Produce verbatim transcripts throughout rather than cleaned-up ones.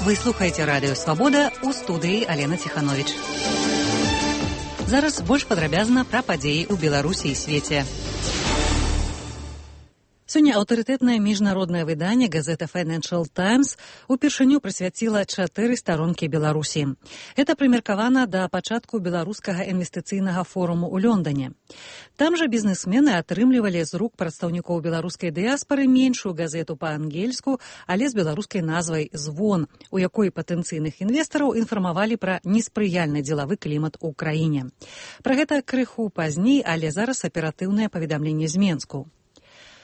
Вы слухаеце радыё «Свабода», у студыі Алена Ціхановіч. Зараз больш падрабязна пра падзеі ў Беларусі і свеце. Сёння аўтарытэтнае міжнароднае выданне газета Financial Times упершыню прысвяціла чатыры старонкі Беларусі. Гэта прымеркавана да пачатку беларускага інвестыцыйнага форуму ў Лондоне. Там жа бізнесмены атрымлівалі з рук прадстаўнікоў беларускай дыяспары меншую газету па-ангельску, але з беларускай назвай «Звон», у якой патэнцыйных інвестараў інфармавалі пра неспрыяльны дзелавы клімат у краіне. Пра гэта крыху пазней, але зараз аператыўнае паведамленне з Менску.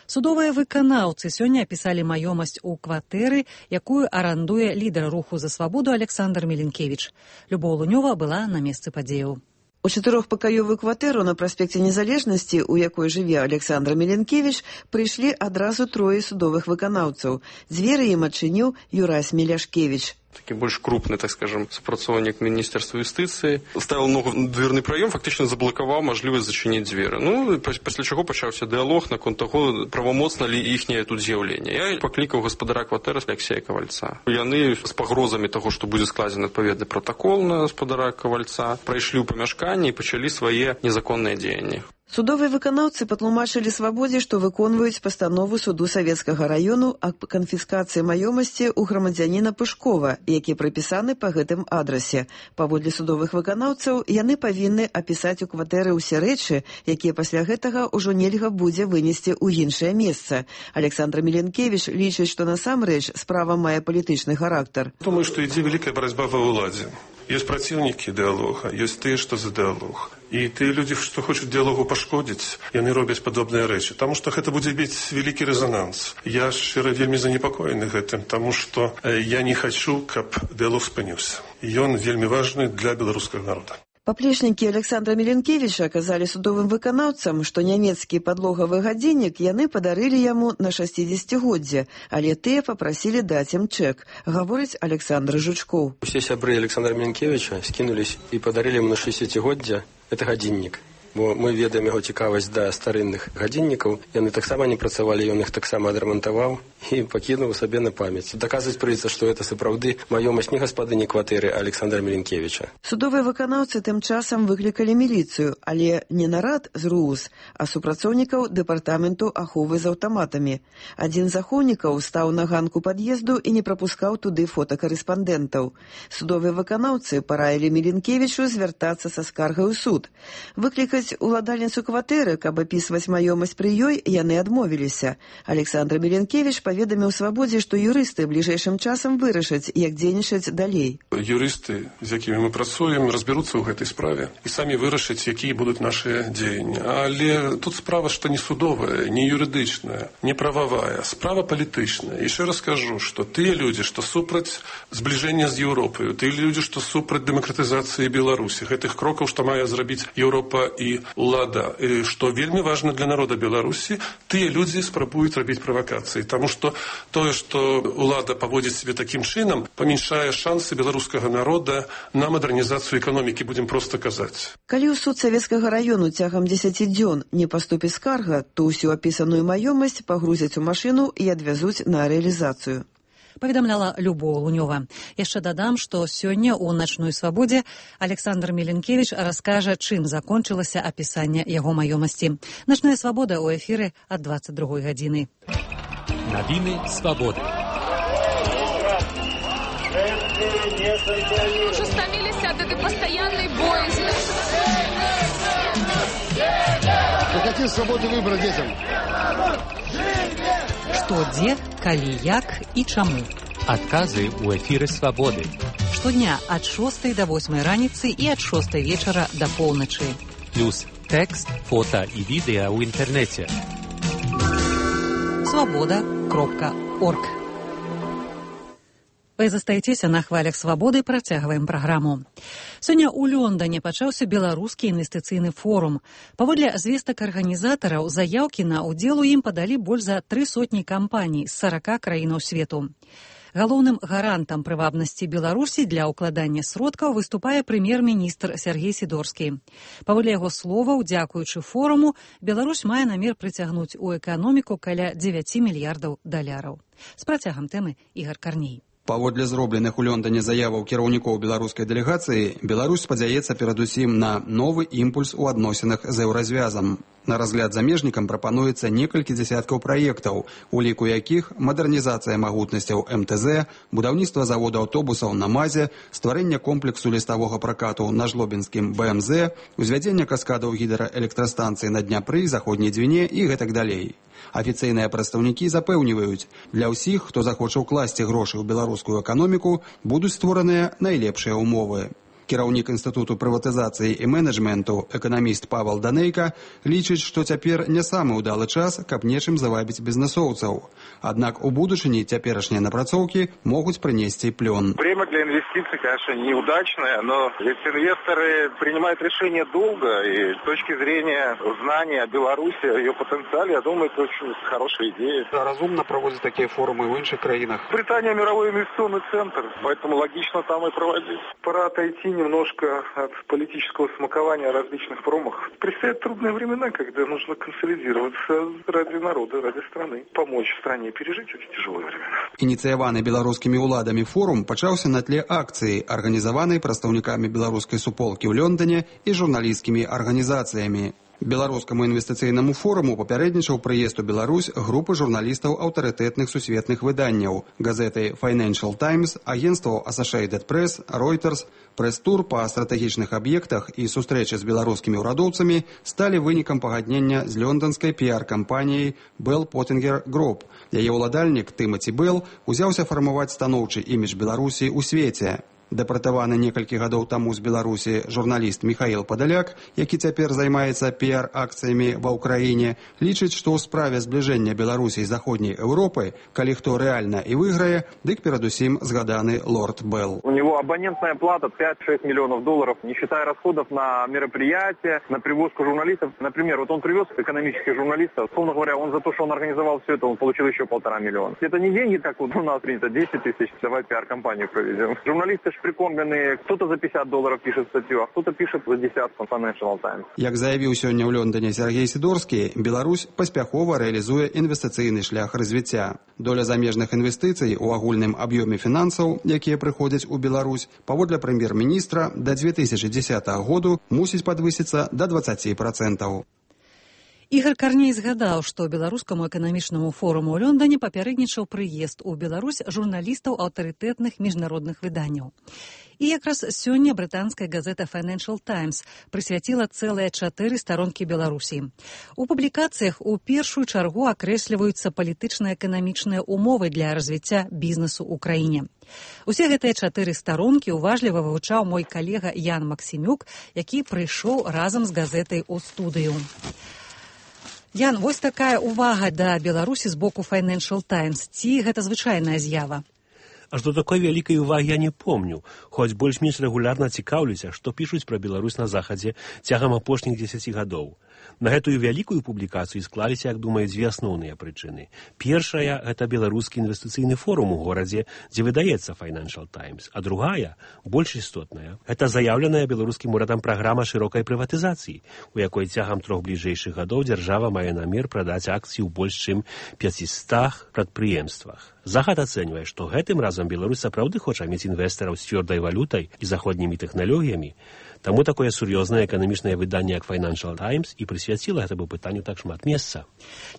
Судовыя выканаўцы сёння апісалі маёмасць у кватэры, якую арандуе лідар руху за свабоду Александр Меленкевич. Любоў Лунёва была на месцы падзеяў. У чатырохпакаёвую кватэру на праспекце Незалежнасці, у якой жыве Александр Меленкевич, прыйшлі адразу трое судовых выканаўцаў. Дзверы ім адчыніў Юрась Меляшкевич. Такі больш крупны, так скажем, супрацоўнік Міністэрства юстыцыі. Ставіў ногу на дверны праём, фактычна заблакаваў мажлівасць зачыніць дзверы. Ну, пасля чаго пачаўся дыялог наконт таго, правамоцна ли іхняе тут з'яўленне. Я паклікаў гаспадара кватэры Алексея Кавальца. Яны з пагрозамі таго, што будзе складзены адпаведны пратакол на гаспадара Кавальца, прайшлі ў памяшканні і пачалі свае незаконныя дзеянні. Судовыя выканаўцы патлумачылі свабодзе, што выконваюць пастанову суду Савецкага раёну аб канфіскацыі маёмасці ў грамадзяніна Пышкова, які прыпісаны па гэтым адрасе. Паводле судовых выканаўцаў, яны павінны апісаць у кватэры ўсе рэчы, якія пасля гэтага ўжо нельга будзе вынесці ў іншае месца. Александр Меленкевич лічыць, што насамрэч справа мае палітычны характар. Думаю, што ідзе вялікая барацьба ва ўладзе. Есть противники диалога, есть те, что за диалог. И те люди, что хочуць диалогу пашкодзіць, яны робяць падобныя рэчы. Таму што гэта будзе мець вялікі рэзананс. Я шчыра вельмі занепакоены гэтым, таму што я не хачу, каб диалог спыніўся. Ён вельмі важны для беларускага народа. Паплечнікі Александра Меленкевича казалі судовым выканаўцам, што нямецкі падлогавы гадзіннік яны падарылі яму на шасцідзесяцігоддзе, але тыя папрасілі даць ім чэк, гаворыць Александр Жучкоў. Усе сябры Александра Меленкевича скінулись і падарылі яму на шасцідзесяцігоддзе гэты гадзіннік. Бо мы ведаем яго цікавасць да старынных гадзіннікаў. Яны таксама не працавалі, ён іх таксама адрамантаваў і пакінуў сабе на памяць. Даказваць прыйдзецца, што гэта сапраўды маёмасць не гаспадыні кватэры Александра Меленкевича. Судовыя выканаўцы тым часам выклікалі міліцыю, але не нарад з РУС, а супрацоўнікаў дэпартаменту аховы з аўтаматамі. Адзін з ахоўнікаў стаў на ганку пад'езду і не прапускаў туды фотакарэспандэнтаў. Судовыя выканаўцы параілі Меленкевичу звяртацца са скаргай у суд. Выклікаць уладальніцу кватэры, каб апісваць маёмасць пры ёй, яны адмовіліся. Александр Меленкевич паведаміў свабодзе, што юрысты бліжэйшым часам вырашаць, як дзейнічаць далей. Юрысты, з якімі мы працуем, разбяруцца ў гэтай справе і самі вырашаць, якія будуць нашыя дзеянні. Але тут справа, што не судовая, не юрыдычная, не прававая, справа палітычная. І яшчэ раз кажу, што тыя людзі, што супраць збліжэння з Еўропаю, тыя людзі, што супраць дэмакратызацыі Беларусі, гэтых крокаў, што мае зрабіць Еўропа і улада, што вельмі важна для народа Беларусі, тыя людзі спрабуюць рабіць правакацыі. Таму што тое, што улада паводзіць себе такім чынам, памяншае шансы беларускага народа на мадэрнізацыю эканомікі, будзем проста казаць. Калі ў суд Савецкага раёну цягам дзесяці дзён не паступіць скарга, то ўсю апісаную маёмасць пагрузяць у машыну і адвязуць на рэалізацыю. Паведамляла Любоў Лунёва. Яшчэ дадам, што сёння ў начной свабодзе Александр Меленкевич раскажа, чым закончылася апісанне яго маёмасці. Начная свабода ў эфіры ад дваццаць другой гадзіны. Навіны свабоды. Уже стаміліся ад этой пастаяннай боязі. Какие свободы выбора детям? Што, дзе, калі, як і чаму. Адказы ў эфіры свабоды. Штодня ад шостай да восьмай раніцы і ад шостай вечара да поўначы. Плюс тэкст, фота і відэа ў інтэрнэце. свабода кропка орг. Вы застаецеся на хвалях свабоды, працягваем праграму. Сёння ў Лондоне пачаўся беларускі інвестыцыйны форум. Паводле звестак арганізатараў, заяўкі на ўдзел у ім падалі больш за тры сотні кампаній з сарака краінаў свету. Галоўным гарантам прывабнасці Беларусі для ўкладання сродкаў выступае прэм'ер-міністр Сергей Сідорскі. Паводле яго словаў, дзякуючы форуму, Беларусь мае намер прыцягнуць у эканоміку каля дзевяці мільярдаў даляраў. З працягам тэмы Ігар Карней. Паводле зробленых у Лондоне заяваў кіраўнікоў беларускай дэлегацыі, Беларусь спадзяецца перадусім на новы імпульс у адносінах з еўразвязам. На разгляд замежнікам прапануецца некалькі дзясяткаў праектаў, у ліку якіх мадэрнізацыя магутнасцяў эм тэ зэ, будаўніцтва завода аўтобусаў на МАЗе, стварэнне комплексу ліставога пракату на жлобінскім бэ эм зэ, узвядзенне каскадаў гідраэлектрастанцыі на Дняпры, заходняй Двіне і гэтак далей. Афіцыйныя прадстаўнікі запэўніваюць, для ўсіх, хто захоча ўкласці грошы ў беларускую эканоміку, будуць створаныя найлепшыя ўмовы. Кіраўнік Інстытуту прыватызацыі і менеджменту, эканаміст Павел Данейка, лічыць, што цяпер не самы ўдалы час, каб нечым завабіць бізнесоўцаў. Аднак у будучыні цяперашнія напрацоўкі могуць прынесці плён. Время для инвестиций, конечно, неудачное, но ведь инвесторы принимают решения долго, и с точки зрения знания о Беларуси, о ее потенциале, я думаю, это очень хорошая идея. Разумно проводить такие форумы в інших країнах. Британия мировой инвестиционный центр, поэтому логично там и проводить. Пора отойти немножко от политического смакования о различных форумах. Предстоят трудные времена, когда нужно консолидироваться ради народа, ради страны, помочь стране пережить эти тяжелые времена. Ініцыяваны беларускімі ўладамі форум пачаўся на тле акцыі, арганізаванай прадстаўнікамі беларускай суполкі ў Лондоне і журналісцкімі арганізацыямі. Беларускаму інвестыцыйнаму форуму папярэднічаў прыезд у Беларусь групы журналістаў аўтарытэтных сусветных выданняў, газеты Financial Times, агенстваў Associated Press, Reuters. Прэс-тур па стратэгічных аб'ектах і сустрэчы з беларускімі ўрадоўцамі сталі вынікам пагаднення з лёнданскай піар-кампаніяй Bell Pottinger Group. Яе ўладальнік Тымаці Белл узяўся фармаваць станоўчы імідж Беларусі ў свеце. Дэпартаваны некалькі гадоў таму з Беларусі журналіст Михаил Падаляк, які цяпер займаецца піар-акцыямі ва ўкраіне, лічыць, што ў справе збліжэння Беларусі і заходняй Еўропы, калі хто рэальна і выйграе, дык перадусім згаданы лорд Белл. У него абонентная плата пять-шесть миллионов долларов, не считая расходов на мероприятия, на привозку журналистов. Например, вот он привез экономических журналистов, условно говоря, он за то, что он организовал все это, он получил еще полтора миллиона. Это не деньги, как вот у нас принято, десять тысяч, давай пиар-компанию проведем. Журналисты прикормленные, кто-то за пятьдесят долларов пишет статью, а кто-то пишет за десятку Financial Times. Як заявіў сёння ў Лондоне Сергей Сідорскі, Беларусь паспяхова рэалізуе інвестыцыйны шлях развіцця. Доля замежных інвестыцый у агульным аб'ёме фінансаў, якія прыходзяць у Беларусь, паводле прэм'ер-міністра, да две тысячи дзесятага году мусіць падвысіцца да двадцати процентаў. Ігор Карней згадаў, што беларускаму эканамічнаму форуму ў Лондоне папярэднічаў прыезд у Беларусь журналістаў аўтарытэтных міжнародных выданняў. І якраз сёння брытанская газета Financial Times прысвяціла цэлыя чатыры старонкі Беларусі. У публікацыях у першую чаргу акрэсліваюцца палітычна-эканамічныя умовы для развіцця бізнесу ў краіне. Усе гэтыя чатыры старонкі уважліва вывучаў мой калега Ян Максімюк, які прыйшоў разам з газетай у студыю. Ян, вось такая увага да Беларусі з боку Financial Times. Ці гэта звычайная з'ява? Аж до такой вялікай увагі я не помню, хоць больш-менш рэгулярна цікаўлюся, што пішуць пра Беларусь на захадзе цягам апошніх дзесяці гадоў. На гэтую вялікую публікацыю склаліся, як думаю, дзве асноўныя прычыны. Першая – гэта беларускі інвестыцыйны форум у горадзе, дзе выдаецца Financial Times. А другая, больш істотная, гэта заяўленая беларускім урадам праграма шырокай прыватызацыі, у якой цягам трох бліжэйшых гадоў дзяржава мае намер прадаць акцыі ў больш чым пяцістах прадпрыемствах. Захад ацэньвае, што гэтым разам Беларусь сапраўды хоча мець інвестараў з цвёрдай валютай і заходнімі тэхналогіямі. Таму такое сур'ёзнае эканамічнае выданне, як Financial Times, і прысвяціла гэтаму пытанню так шмат месца.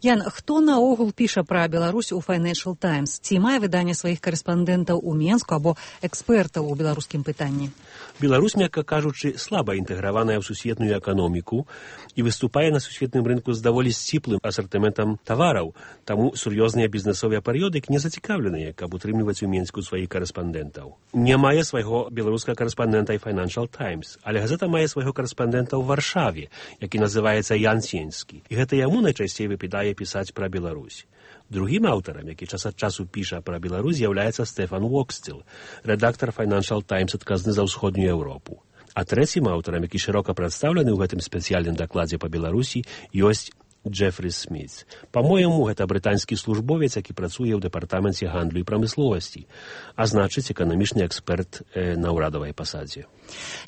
Ян, хто наогул піша пра Беларусь у Financial Times? Ці мае выданне сваіх карэспандэнтаў у Менску або экспертаў у беларускім пытанні? Беларусь, мякка кажучы, слаба інтэграваная ў сусветную эканоміку і выступае на сусветным рынку з даволі сціплым асартыментам тавараў, таму сур'ёзныя бізнесовыя перыёдыкі не зацікаўленыя, каб утрымліваць у Менску сваіх карэспандэнтаў. Не мае свайго беларускага карэспандэнта і Financial Times, але газета мае свайго карэспандэнта ў Варшаве, які называецца Ян Сенскі, і гэта яму найчасцей выпадае пісаць пра Беларусь. Другім аўтарам, які час ад часу піша пра Беларусь, з'яўляецца Стэфан Уоксціл, рэдактар Financial Times адказны за ўсходнюю Еўропу. А трэцім аўтарам, які шырока прадстаўлены ў гэтым спецыяльным дакладзе па Беларусі, ёсць Джефрі Сміт. Па-мойму, гэта брытанскі службовец, які працуе ў дэпартаменце гандлю і прамысловасці, а значыць, эканамічны эксперт э, на ўрадавай пасадзе.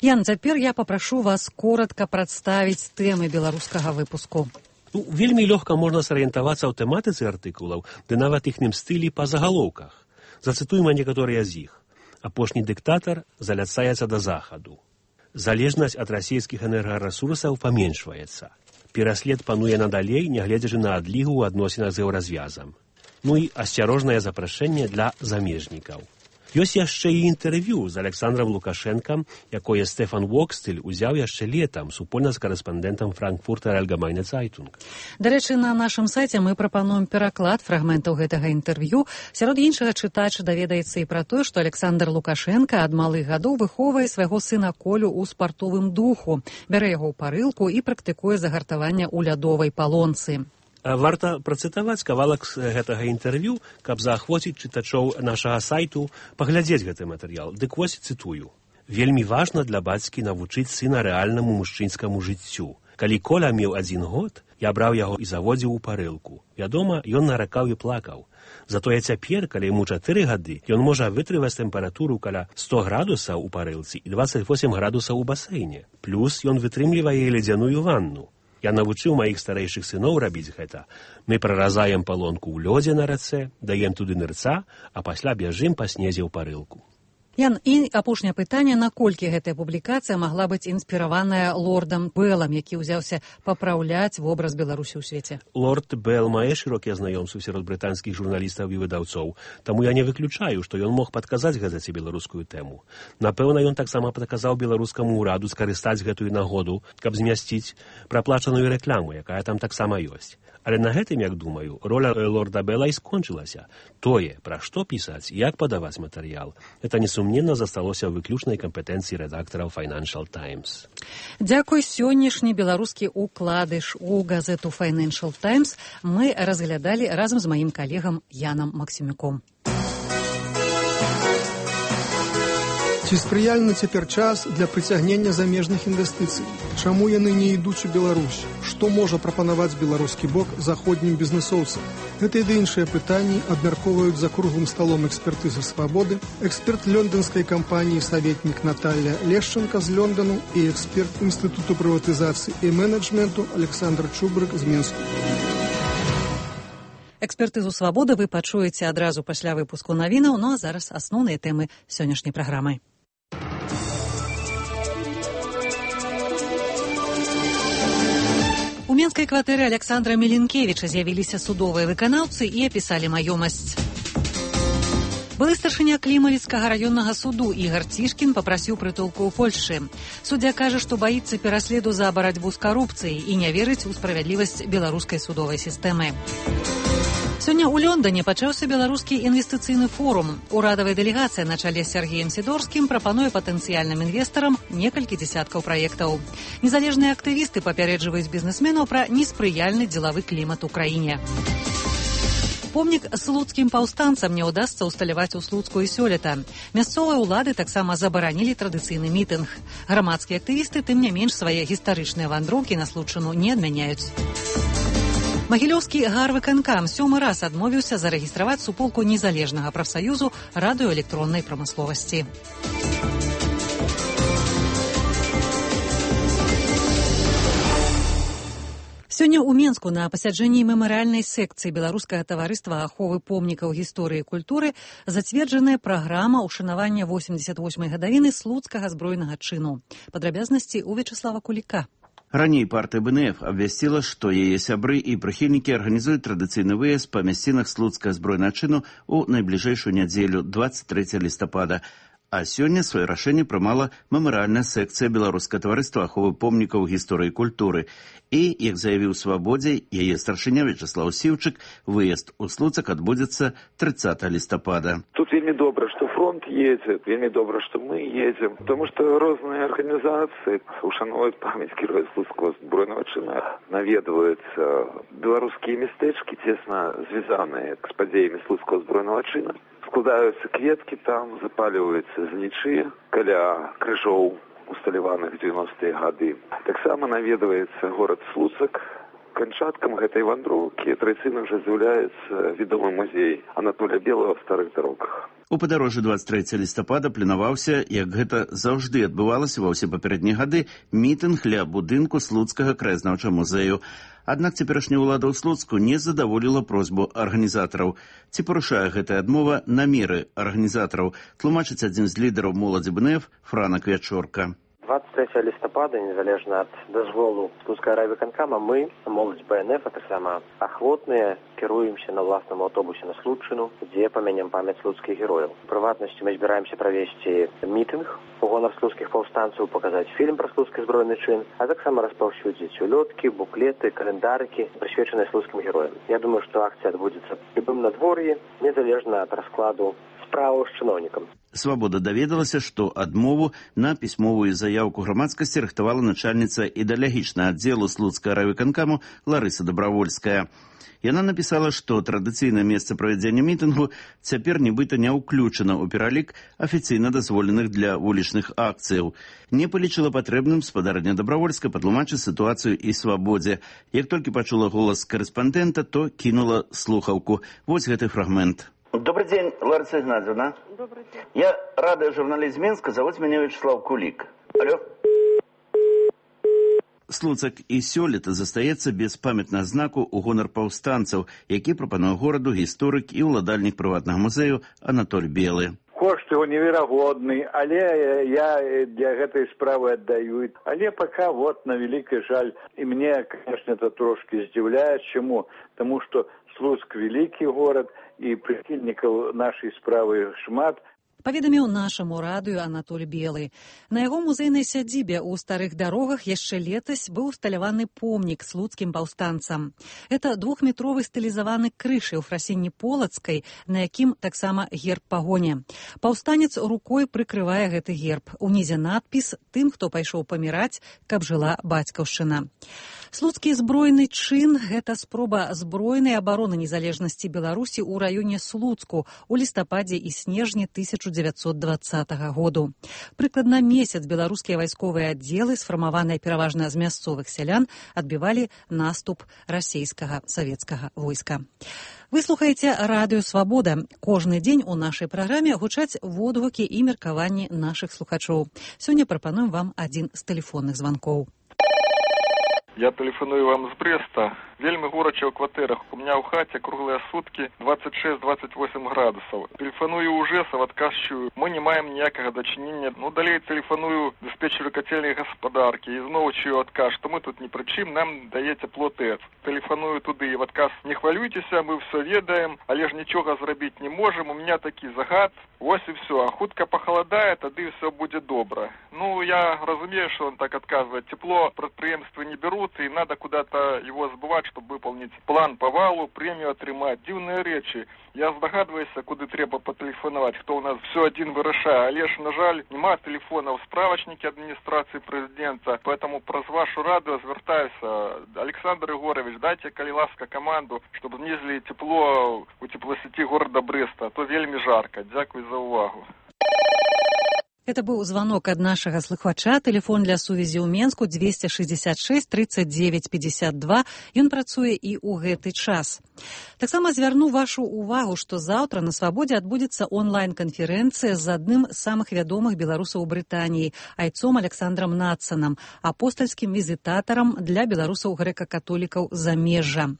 Ян, цяпер я папрашу вас коратка прадставіць тэмы беларускага выпуску. Ну, вельмі лёгка можна сарыентавацца ў тэматыцы артыкулаў, ды нават іхным стылі па загалоўках. Зацытуем некаторыя з іх. Апошні дыктатар заляцаецца да захаду. Залежнасць ад расійскіх энергарэсурсаў паменшваецца. Пераслед пануе надалей, нягледзячы на адлігу ў адносінах з еўразвязам. Ну і асцярожнае запрашэнне для замежнікаў. Ёсць яшчэ і інтэрв'ю з Александром Лукашэнкам, якое Стэфан Вокстэль узяў яшчэ летам супольна з карэспандэнтам Франкфуртер Allgemeine Zeitung. Дарэчы, на нашым сайце мы прапануем пераклад фрагментаў гэтага інтэрв'ю. Сярод іншага чытач даведаецца і пра тое, што Александр Лукашэнка ад малых гадоў выхоўвае свайго сына Колю ў спартовым духу, бярэ яго ў парылку і практыкуе загартаванне ў лядовай палонцы. Варта працытаваць кавалак з гэтага інтэрв'ю, каб заахвоціць чытачоў нашага сайту паглядзець гэты матэрыял. Дык вось цытую. Вельмі важна для бацькі навучыць сына рэальнаму мужчынскаму жыццю. Калі Коля меў адзін год, я браў яго і заводзіў у парылку. Вядома, ён наракаў і плакаў. Затое цяпер, калі яму чатыры гады, ён можа вытрываць тэмпературу каля сто градусаў у парылцы і дваццаць восем градусаў у басейне. Плюс ён вытрымлівае ледзяную ванну. Я навучыў маіх старэйшых сыноў рабіць гэта. Мы праразаем палонку ў лёдзе на рацэ, даем туды нырца, а пасля бяжым па снезе ў парылку. Ян, і апошняе пытанне, наколькі гэтая публікацыя магла быць інспіраваная лордам Беллам, які ўзяўся папраўляць вобраз Беларусі ў свеце? Лорд Белл мае шырокія знаёмствы сярод брытанскіх журналістаў і выдаўцоў, таму я не выключаю, што ён мог падказаць газеце беларускую тэму. Напэўна, ён таксама падказаў беларускаму ўраду скарыстаць гэтую нагоду, каб змясціць праплачаную рэкляму, якая там таксама ёсць. Але на гэтым, як думаю, роля лорда Белла і скончылася. Тое, пра што пісаць, як падаваць матэрыял, гэта несумненна засталося ў выключнай кампетэнцыі рэдактараў Financial Times. Дзякуй, сённяшні беларускі укладыш у газету Financial Times мы разглядалі разам з маім калегам Янам Максімюком. Ці спрыяльны цяпер час для прыцягнення замежных інвестыцый? Чаму яны не ідуць у Беларусь? Што можа прапанаваць беларускі бок заходнім бізнесоўцам? Гэта і іншыя пытанні абмяркоўваюць за круглым сталом экспертызы «Свабоды», эксперт лёндонскай кампаніі «Саветнік» Наталья Лешченка з Лондону і эксперт Інстытуту прыватызацыі і менеджменту Александр Чубрык з Мінску. Экспертызу «Свабоды» вы пачуеце адразу пасля выпуску навінаў, ну а зараз асноўныя тэмы сённяшняй праграмы. У менскай кватэры Александра Меленкевіча з'явіліся судовыя выканаўцы і апісалі маёмасць. Былы старшыня Клімавіцкага раённага суду Ігар Цішкін папрасіў прытулку ў Польшчы. Суддзя кажа, што баіцца пераследу за барацьбу з карупцыяй і не верыць у справядлівасць беларускай судовай сістэмы. Сёння ў Лондоне пачаўся беларускі інвестыцыйны форум. Урадавая дэлегацыя на чале з Сергеем Сідорскім прапануе патэнцыяльным інвестарам некалькі дзесяткаў праектаў. Незалежныя актывісты папярэджваюць бізнесменаў пра неспрыяльны дзелавы клімат у краіне. Помнік слуцкім паўстанцам не ўдасца ўсталяваць у Слуцку і сёлета. Мясцовыя ўлады таксама забаранілі традыцыйны мітынг. Грамадскія актывісты, тым не менш, свае гістарычныя вандроўкі на Случыну не адмяняюць. Магілёўскі гарвыканкам сёмы раз адмовіўся зарэгістраваць суполку незалежнага прафсаюзу радыёэлектроннай прамысловасці. Сёння ў Менску на пасяджэнні мемарыяльнай секцыі Беларускага таварыства аховы помнікаў гісторыі і культуры зацверджаная праграма ўшанавання восемьдесят восьмай гадавіны слуцкага збройнага чыну. Падрабязнасці ў Вячеслава Куліка. Раней партыя бэ эн эф абвясціла, што яе сябры і прыхільнікі арганізуюць традыцыйны выезд па мясцінах слуцкага збройнага чыну ў найбліжэйшую нядзелю двадцать трэцяга лістапада. А сёння сваё рашэнне прымала мемарыяльная секцыя Беларускага таварыства аховы помнікаў гісторыі і культуры. І, як заявіў Свабодзе, яе старшыня Вячеслав Сіўчык, выезд у Слуцак адбудзецца тридцатого лістапада. Тут вельмі добра, што фронт едзе, вельмі добра, што мы едзем, тому што розныя арганізацыі ушановваюць памяць героя слуцкага збройнага чына, наведваюцца беларускія мястэчкі, цесна звязаныя з падзеямі слуцкага збройнага чына. Складаюцца кветкі там, запаліваюцца знічы каля крыжоў, усталяваных дзевяностыя гады. Таксама наведваецца горад Слуцак. Канчаткам гэтай вандроўкі традыцыйна ўжо з'яўляецца вядомы музей Анатолія Белого в старых дорогах. У падарожжы двадцать трэцяга лістапада планаваўся, як гэта заўжды адбывалася ва ўсе папярэднія гады, мітынг ля будынку Слуцкага краязнаўчага музею. Аднак цяперашняя ўлада ў Слуцку не задаволіла просьбу арганізатараў. Ці парушае гэтая адмова намеры арганізатараў, тлумачыць адзін з лідараў моладзі бэ эн эф Франак Вячорка. двадцать трэцяга лістапада, незалежна ад дазволу Слуцкага райвыканкама, мы, моладзь бэ эн эф, а таксама ахвотныя, кіруемся на ўласным аўтобусе на Слуцчыну, дзе памянем памяць слуцкіх герояў. У прыватнасці мы збіраемся правесці мітынг у гонар слуцкіх паўстанцаў, паказаць фільм пра слуцкі збройны чын, а таксама распаўсюдзіць улёткі, буклеты, календарыкі, прысвечаныя слуцкім героям. Я думаю, што акцыя адбудзецца ў любым надвор'і, незалежна ад раскладу справаў з чыноўнікам. Свабода даведалася, што адмову на пісьмовую заяўку грамадскасці рыхтавала начальніца ідэалагічнага аддзелу Слуцкага райвыканкаму Ларыса Дабравольская. Яна напісала, што традыцыйнае месца правядзення мітынгу цяпер нібыта не ўключана ў пералік афіцыйна дазволеных для вулічных акцыяў. Не палічыла патрэбным спадарня Дабравольская патлумачыць сітуацыю і Свабодзе. Як толькі пачула голас карэспандэнта, то кінула слухаўку. Вось гэты фрагмент. Добрый день, Лариса Игнатьевна. Добрый день. Я радиожурналист Минска, зовут меня Вячеслав Кулик. Алло. Слуцак і сёлета застаецца без памятнага знаку ў гонар паўстанцаў, які прапануе гораду гісторык і ўладальнік прыватнага музею Анатоль Белы. Кошт его неверагодны, але я для гэтай справы аддаю. Але пока вот на великий жаль. И мне, конечно, это трошки здзіўляе. Чему? Потому что Слуцк великий город, и прихильников нашей справы шмат. Паведаміў нашаму радыё Анатоль Белы. На яго музейнай сядзібе ў старых дарогах яшчэ летась быў усталяваны помнік слуцкім паўстанцам. Это двухметровы стылізаваны крыж у фрасінні полацкай, на якім таксама герб пагоні. Паўстанец рукой прыкрывае гэты герб. Унізе надпіс «Тым, хто пайшоў паміраць, каб жыла бацькаўшчына». Слуцкі збройны чын – гэта спроба збройнай абароны незалежнасці Беларусі ў раёне Слуцку у лістападзе і снежні тысяча дзевяцьсот дваццатага году. Прыкладна месяц беларускія вайсковыя аддзелы, сфармаваныя пераважна з мясцовых сялян, адбівалі наступ расійскага савецкага войска. Вы слухаеце радыё «Свабода». Кожны дзень у нашай праграме гучаць водгукі і меркаванні нашых слухачоў. Сёння прапануем вам адзін з тэлефонных званкоў. Я тэлефаную вам з Бреста. Вельмі горача ў кватэрах. У меня ў хаце круглыя суткі двадцать шесть двадцать восемь градусаў. Тэлефаную ў ЖЭС, адказчую, мы не маем ніякага дачынення. Ну, далей тэлефаную дыспетчеру кацельнай гаспадаркі і зноў чую адказ, што мы тут ні пры чым, нам дае цепло ТЭЦ. Тэлефаную туды і в адказ: не хвалюйцеся, мы ўсё ведаем, але ж нічога зрабіць не можам, у меня такі загад. Вось і все, а хутка пахаладае, тады ўсё будзе добра. Ну, я разумею, что он так отказывает. Тепло предприемства не берут, и надо куда-то его сбывать, чтобы выполнить план по валу, премию отрымать. Дивные речи. Я здогадываюся, куди треба потелефонувати, хто у нас все один вирішає. Але ж, на жаль, нема телефона в справочнике адміністрації президента, поэтому про вашу раду звертаюся. Александр Егорович, дайте, коли ласка, команду, щоб знизили тепло у теплосеті города Бреста, а то вельми жарко. Дякую за увагу. Это быў звонок ад нашага слухача. Телефон для сувязі ў Менску двести шестьдесят шесть тридцать девять пятьдесят два. Ён працуе і ў гэты час. Таксама звярну вашу увагу, што заўтра на Свабодзе адбудзецца онлайн-канферэнцыя з адным з самых вядомых беларусаў у Брытаніі, айцом Александром Надсанам, апостальскім візітатарам для беларусаў грэка-католікаў замежжа.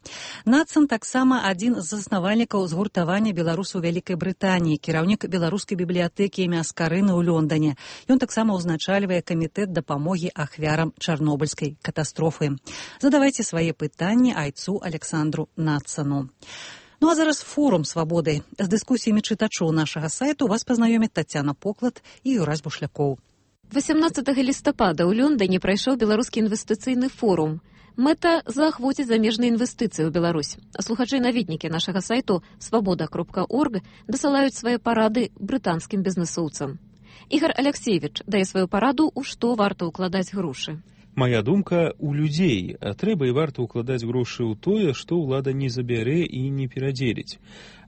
Надсан таксама адзін з заснавальнікаў згуртавання беларусаў Вялікай Брытаніі, кіраўнік беларускай бібліятэкі імя Аскарыны ў Лондоне. Ён таксама ўзначальвае камітэт дапамогі ахвярам чарнобыльскай катастрофы. Задавайце свае пытанні айцу Александру Надсану. Ну а зараз форум «Свабоды». З дыскусіямі чытачоў нашага сайту вас пазнаёмяць Тацяна Поклад і Юрась Бушлякоў. восемнадцатага лістапада ў Лондоне прайшоў беларускі інвестыцыйны форум. Мэта – заахвоціць замежныя інвестыцыі ў Беларусь. Слухачы-наведнікі нашага сайту свабода кропка орг дасылаюць свае парады брытанскім бізнесоўцам. Ігор Алексеевич дае сваю параду, у што варта ўкладаць грошы. Моя думка – у людзей, а трэба і варта ўкладаць грошы ў тое, што ўлада не забярэ і не перадзеліць.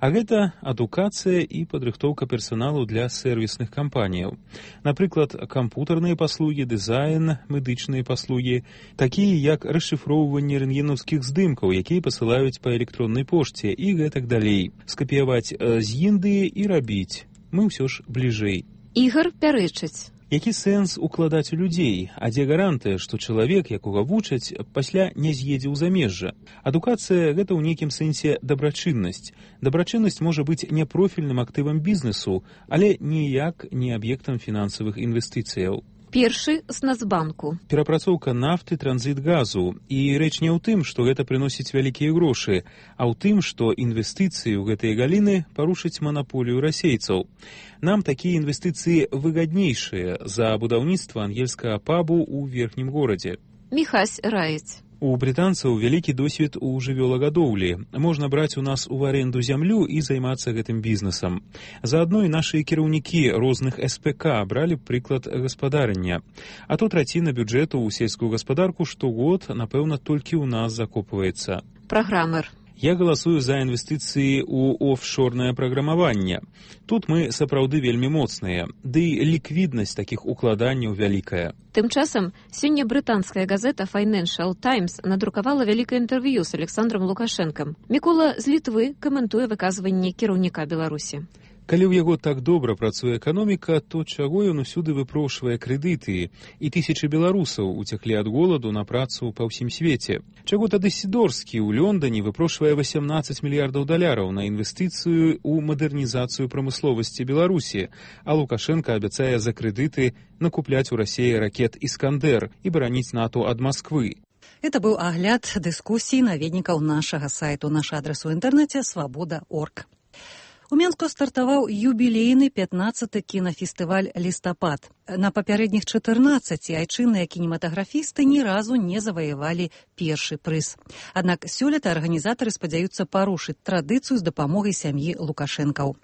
А гэта адукацыя і падрыхтоўка персаналу для сэрвісных кампаніяў. Напрыклад, кампутарныя паслугі, дызайн, медычныя паслугі, такія як расшыфроўванне рэнтгенаўскіх здымкаў, якія пасылаюць па электроннай пошце і гэтак далей. Скапіяваць з Індыі і рабіць. мы ўсё ж бліжэй. Ігар пярэчыць. Які сэнс укладаць у людзей, а дзе гарантыя, што чалавек, якога вучаць, пасля не з'едзе ў замежжа? Адукацыя – гэта ў нейкім сэнсе дабрачыннасць. Дабрачыннасць можа быць не профільным актывам бізнесу, але ніяк не аб'ектам фінансавых інвестыцыяў. Першы з Нацбанку. Перапрацоўка нафты, транзіт газу. І рэч не ў тым, што гэта прыносіць вялікія грошы, а ў тым, што інвестыцыі ў гэтыя галіны парушаць манаполію расейцаў. Нам такія інвестыцыі выгаднейшыя за будаўніцтва ангельскага пабу ў верхнім горадзе. Міхась раіць. У брытанцаў вялікі досвед у жывёлагадоўлі. Можна браць у нас у аренду зямлю і займацца гэтым бізнесам. Заадно і нашы кіраўнікі розных эс пэ ка бралі прыклад гаспадарання. А то траціна бюджэту ў сельскую гаспадарку штогод, напэўна, толькі ў нас закопваецца. Праграмер. Я галасую за інвестыцыі ў офшорнае праграмаванне. Тут мы сапраўды вельмі моцныя, ды ліквіднасць такіх укладанняў вялікая. Тым часам, сёння брытанская газета Financial Times надрукавала вялікае інтэрв'ю з Александром Лукашэнкам. Мікола з Літвы каментуе выказванне кіраўніка Беларусі. Калі ў яго так добра працуе эканоміка, то чаго ён усюды выпрошвае крэдыты, і тысячы беларусаў уцеклі ад голаду на працу па ўсім свеце? Чаго тады Сідорскі ў Лондоне выпрошвае васемнаццаць мільярдаў даляраў на інвестыцыю ў мадэрнізацыю прамысловасці Беларусі, а Лукашенко абяцае за крэдыты накупляць у Расіі ракет «Іскандер» і бараніць НАТО ад Масквы? Это быў агляд дыскусій наведнікаў нашага сайту. Наш адрес у інтэрнэце свабода точка орг. У Менску стартаваў юбілейны пятнаццаты кінафестываль «Лістапад». На папярэдніх чатырнаццаці айчынныя кінематаграфісты ні разу не заваявалі першы прыз. Аднак сёлета арганізатары спадзяюцца парушыць традыцыю з дапамогай сям'і Лукашэнкаў.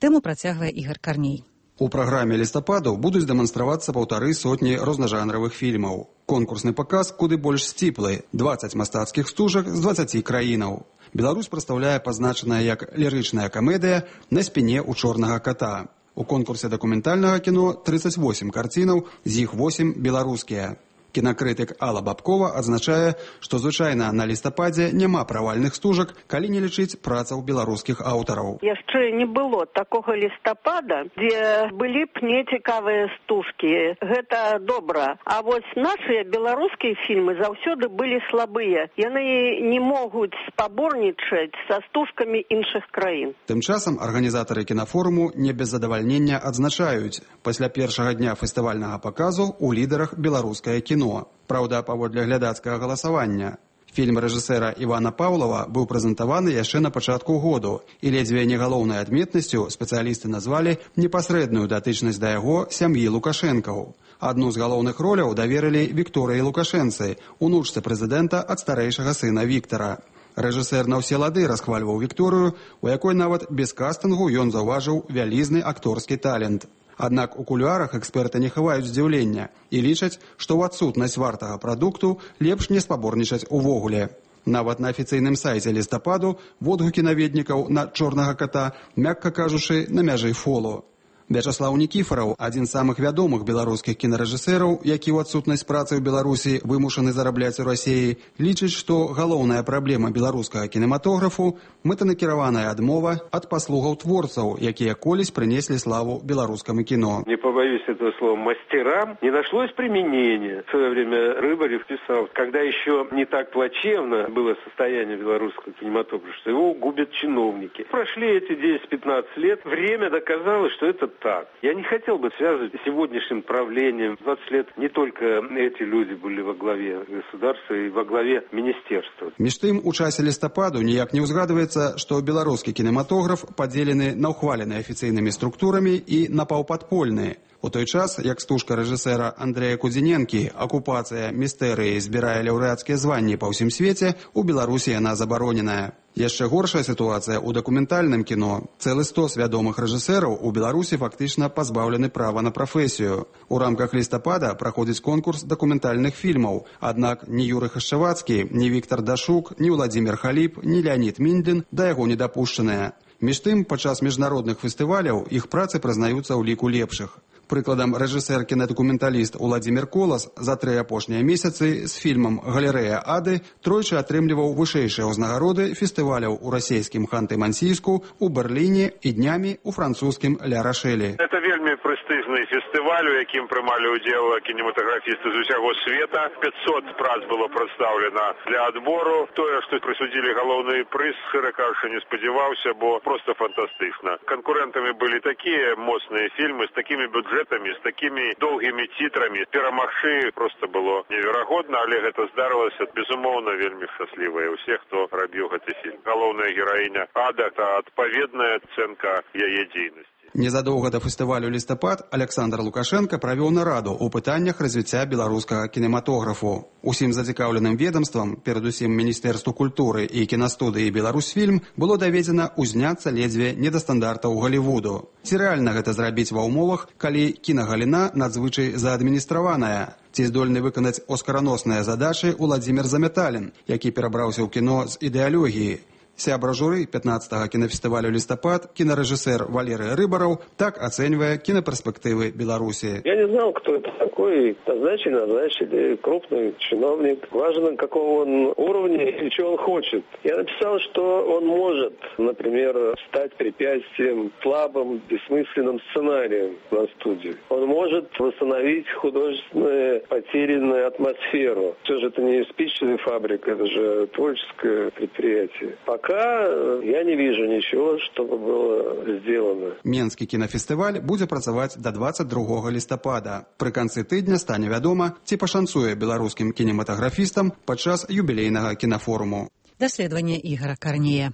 Тэму працягвае Ігар Карней. У праграме лістападу будуць дэманстравацца паўтары сотні рознажанравых фільмаў. Конкурсны паказ куды больш сціплы – дваццаць мастацкіх стужак з дваццаці краінаў. Беларусь прадстаўляе пазначаная як лірычная камедыя «На спіне ў чорнага ката». У конкурсе дакументальнага кіно трыццаць восем карцінаў, з іх восем беларускія. Кінакрытык Алла Бабкова адзначае, што звычайна на лістападзе няма правальных стужак, калі не лічыць працаў беларускіх аўтараў. Яшчэ не было такога лістапада, дзе былі б нецікавыя стужкі. Гэта добра. А вось нашыя беларускія фільмы заўсёды былі слабыя. Яны не могуць спаборнічаць са стужкамі іншых краін. Тым часам арганізатары кінафоруму не без задавальнення адзначаюць, пасля першага дня фестывальнага паказу у лідарах беларускае кіно. Праўда, паводле глядацкага галасавання. Фільм рэжысэра Івана Паўлава быў прэзентаваны яшчэ на пачатку году, і ледзьве не галоўнай адметнасцю спецыялісты назвалі непасрэдную датычнасць да яго сям'і Лукашэнкаў. Адну з галоўных роляў даверылі Вікторыі Лукашэнцы, унучцы прэзідэнта ад старэйшага сына Віктара. Рэжысэр на ўсе лады расхвальваў Вікторыю, у якой нават без кастынгу ён заўважыў вялізны акторскі талент. Аднак у кулуарах эксперты не хаваюць здзіўлення і лічаць, што ў адсутнасць вартага прадукту лепш не спаборнічаць увогуле. Нават на афіцыйным сайце лістападу водгукі наведнікаў на чорнага ката, мякка кажучы, на мяжы фолу. Вячаслаў Нікіфараў, адзін з самых вядомых беларускіх кінарэжысэраў, які ў адсутнасць працы ў Беларусі вымушаны зарабляць у Расіі, лічыць, што галоўная праблема беларускага кінематографу – мэтанакіраваная адмова ад паслугаў творцаў, якія колісь прынеслі славу беларускаму кіно. Не побоюсь этого слова, мастерам не нашлось применения. В свое время Рыбарев писал, когда еще не так плачевно было состояние белорусского кинематографа, что его губят чиновники. Прошли эти десять-пятнадцать лет, время доказало, что это так. Я не хотел бы связывать с сегодняшним правлением. двадцать лет не только эти люди были во главе государства и во главе министерства. Між тым, у часе лістападу ніяк не ўзгадваецца, што беларускі кінематограф падзелены на ўхвалены афіцыйнымі структурамі і на паўпадпольныя. У той час, як стужка рэжысэра Андрэя Кудзіненкі «Акупацыя містэрыі» збірае лаўрэацкія званні па ўсім свеце, у Беларусі яна забароненая. Яшчэ горшая сітуацыя ў дакументальным кіно. Цэлы стос вядомых рэжысэраў у Беларусі фактычна пазбаўлены права на прафесію. У рамках лістапада праходзіць конкурс дакументальных фільмаў, аднак ні Юрый Хашчавацкі, ні Віктар Дашук, ні Владзімір Халіп, ні Леонід Міндлін да яго не дапушчаныя. Між тым, падчас міжнародных фестываляў іх працы прызнаюцца ў ліку лепшых. Прыкладам, рэжысэр кінадакументаліст Уладзімір Колас за тры апошнія месяцы з фільмам «Галерэя Ады» тройчы атрымліваў вышэйшыя ўзнагароды фестываляў у расійскім Ханты-Мансійску, у Берліне і днямі у французскім Ля-Рашэлі. Это вельмі прэстыжны фестываль, у якім прымалі ўдзел кінематаграфісты з усяго света. пятьсот прац было прадстаўлена для адбору. Тое, што прысудзілі галоўны прыз, шчыра кажучы, не спадзяваўся, бо проста фантастычна. Канкурэнтамі былі такія моцныя фільмы з такімі бюджэтамі, з такімі доўгімі тітрамі. Перамагчы проста было неверагодна, але гэта здарылася безумоўна вельмі шчаслівая ўсе, хто рабіў гэты фільм. Галоўная гераіня Ада – это адпаведная ацэнка яе дзейнасці. Незадоўга да фестывалю «Лістапад» Александр Лукашенко правёў нараду ў пытаннях развіцця беларускага кінематографу. Усім зацікаўленым ведомствам, перадусім Міністэрству культуры і кінастудыі «Беларусьфільм», было даведзена ўзняцца ледзьве не да стандартаў Голлівуду. Ці рэальна гэта зрабіць ва ўмовах, калі кінагаліна надзвычай заадміністраваная? Ці здольны выканаць оскараносныя задачы Уладзімір Замяталін, які перабраўся ў кіно з ідэалогіі? Сябра журы пятнадцатага кінафестывалю «Лістапад», кінарэжысэр Валерый Рыбараў так ацэньвае кінаперспектывы Беларусі. Я не знал, кто это такой. Назначили, назначили. Крупный чиновник. Важно, какого он уровня и чего он хочет. Я написал, что он может, например, стать препятствием слабым, бессмысленным сценарием на студии. Он может восстановить художественную потерянную атмосферу. Все же это не спичная фабрика, это же творческое предприятие. Пока я не вижу ничего, чтобы было сделано. Менскі кінафестываль будзе працаваць да двадцать другога лістапада. Пры канцы тыдня стане вядома, ці пашанцуе беларускім кінематаграфістам падчас юбілейнага кінафоруму. Даследаванне Ігора Карнея.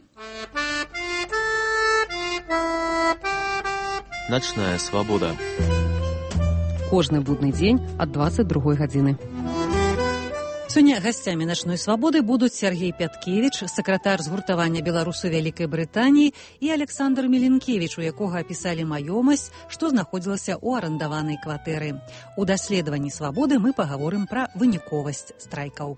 Начная свабода. Кожны будны дзень ад двадцать другой гадзіны. Сёння гасцямі «Начной свабоды» будуць Сергей Пяткевіч, сакратар згуртавання беларусаў Вялікай Брытаніі, і Александр Меленкевіч, у якога апісалі маёмасць, што знаходзілася ў арандаванай кватэры. У даследаванні свабоды мы пагаворым пра выніковасць страйкаў.